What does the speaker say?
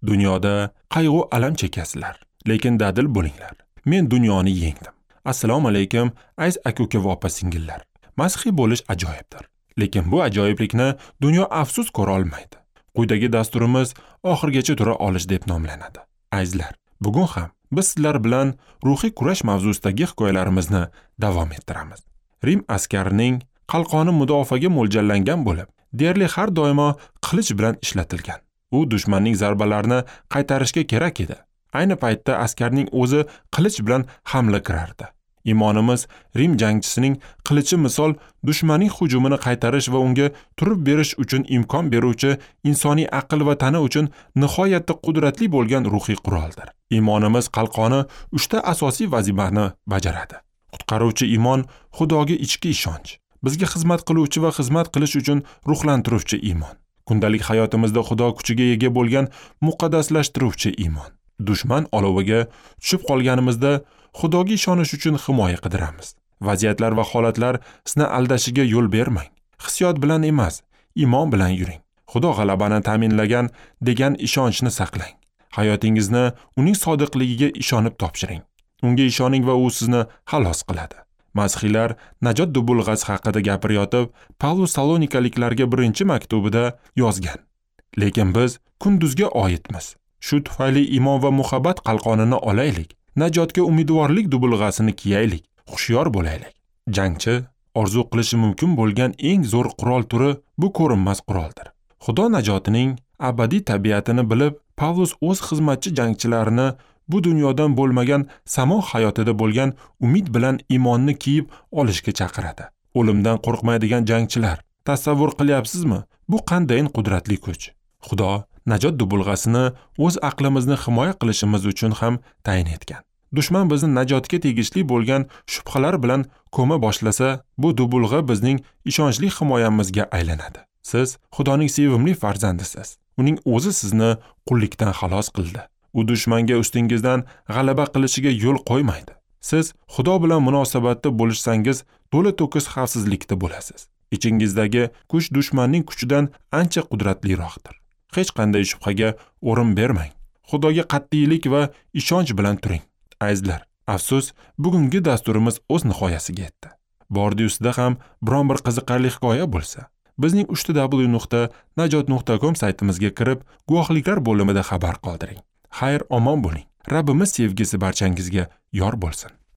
Dunyoda qayg'u alam chekasizlar, lekin dadil bo'linglar. Men dunyoni yengdim. Assalomu alaykum, aziz aka-uka va opa-singillar. Masihiy bo'lish ajoyibdir. Lekin bu ajoyiblikni dunyo afsus ko'ra olmaydi. Quyidagi dasturimiz oxirgacha tura olish deb nomlanadi. Azizlar, bugun ham biz sizlar bilan ruhiy kurash mavzusidagi hikoyalarimizni davom ettiramiz. Rim askarining qalqoni mudofaaga mo'ljallangan bo'lib, deyarli har doimo qilich bilan ishlatilgan. U dushmanning zarbalarini qaytarishga kerak edi. Ayni paytda askarning o'zi qilich bilan hamla kirardi. Imonimiz Rim jangchisining qilichi misol dushmanning hujumini qaytarish va unga turib berish uchun imkon beruvchi insoniy aql va tana uchun nihoyatda qudratli bo'lgan ruhiy quroldir. Imonimiz qalqoni 3 ta asosiy vazifani bajaradi. Qutqaruvchi iymon Xudoga ichki ishonch, bizga xizmat qiluvchi va xizmat qilish uchun ruhlantiruvchi iymon. Kundalik hayotimizda Xudo kuchiga ega bo'lgan muqaddaslashtiruvchi iymon. Dushman oloviga tushib qolganimizda Xudoga ishonish uchun himoya qidiramiz. Vaziyatlar va holatlar sizni aldashiga yo'l bermang. Hissiyot bilan emas, iymon bilan yuring. Xudo g'alabani ta'minlagan degan ishonchni saqlang. Hayotingizni uning sodiqligiga ishonib topshiring. Unga ishoning va u sizni xalos qiladi. Masihiylar najot dubulg'asi haqida gapirayotib, Pavlus Salonikaliklarga birinchi maktubida yozgan. Lekin biz kunduzga oidmiz. Shu tufayli iymon va muhabbat qalqonini olaylik. Najotga umidvorlik dubulg'asini kiyaylik, hushyor bo'laylik. Jangchi orzu qilishi mumkin bo'lgan eng zo'r qurol turi bu ko'rinmas quroldir. Xudo najotining abadiy tabiatini bilib, Pavlus o'z xizmatchi jangchilarini bu dunyodan bo'lmagan samo hayotida bo'lgan umid bilan iymonni kiyib olishga chaqiradi. O'limdan qo'rqmaydigan jangchilar, tasavvur qilyapsizmi? Bu qanday qudratli kuch. Xudo najot dubulg'asini o'z aqlimizni himoya qilishimiz uchun ham tayin etgan. Dushman bizni najotga tegishli bo'lgan shubhalar bilan ko'ma boshlasa, bu dubulg'a bizning ishonchli himoyamizga aylanadi. Siz Xudoning sevimli farzandisiz. Uning o'zi sizni qullikdan xalos qildi. U dushmanga ustingizdan g'alaba qilishiga yo'l qo'ymaydi. Siz Xudo bilan munosabatda bo'lishsangiz, to'la to'kis xavfsizlikda bo'lasiz. Ichingizdagi kuch dushmanning kuchidan ancha qudratliroqdir. Hech qanday shubhaga o'rin bermang. Xudoga qat'iylik va ishonch bilan turing. Azizlar, afsus, bugungi dasturimiz o'z nihoyasiga yetdi. Bordi-ustida ham biron bir qiziqarli hikoya bo'lsa, bizning www.najot.com saytimizga kirib, guvohliklar bo'limida xabar qoldiring. Xayr, omon bo'ling. Rabbimiz sevgisi barchangizga yor bo'lsin.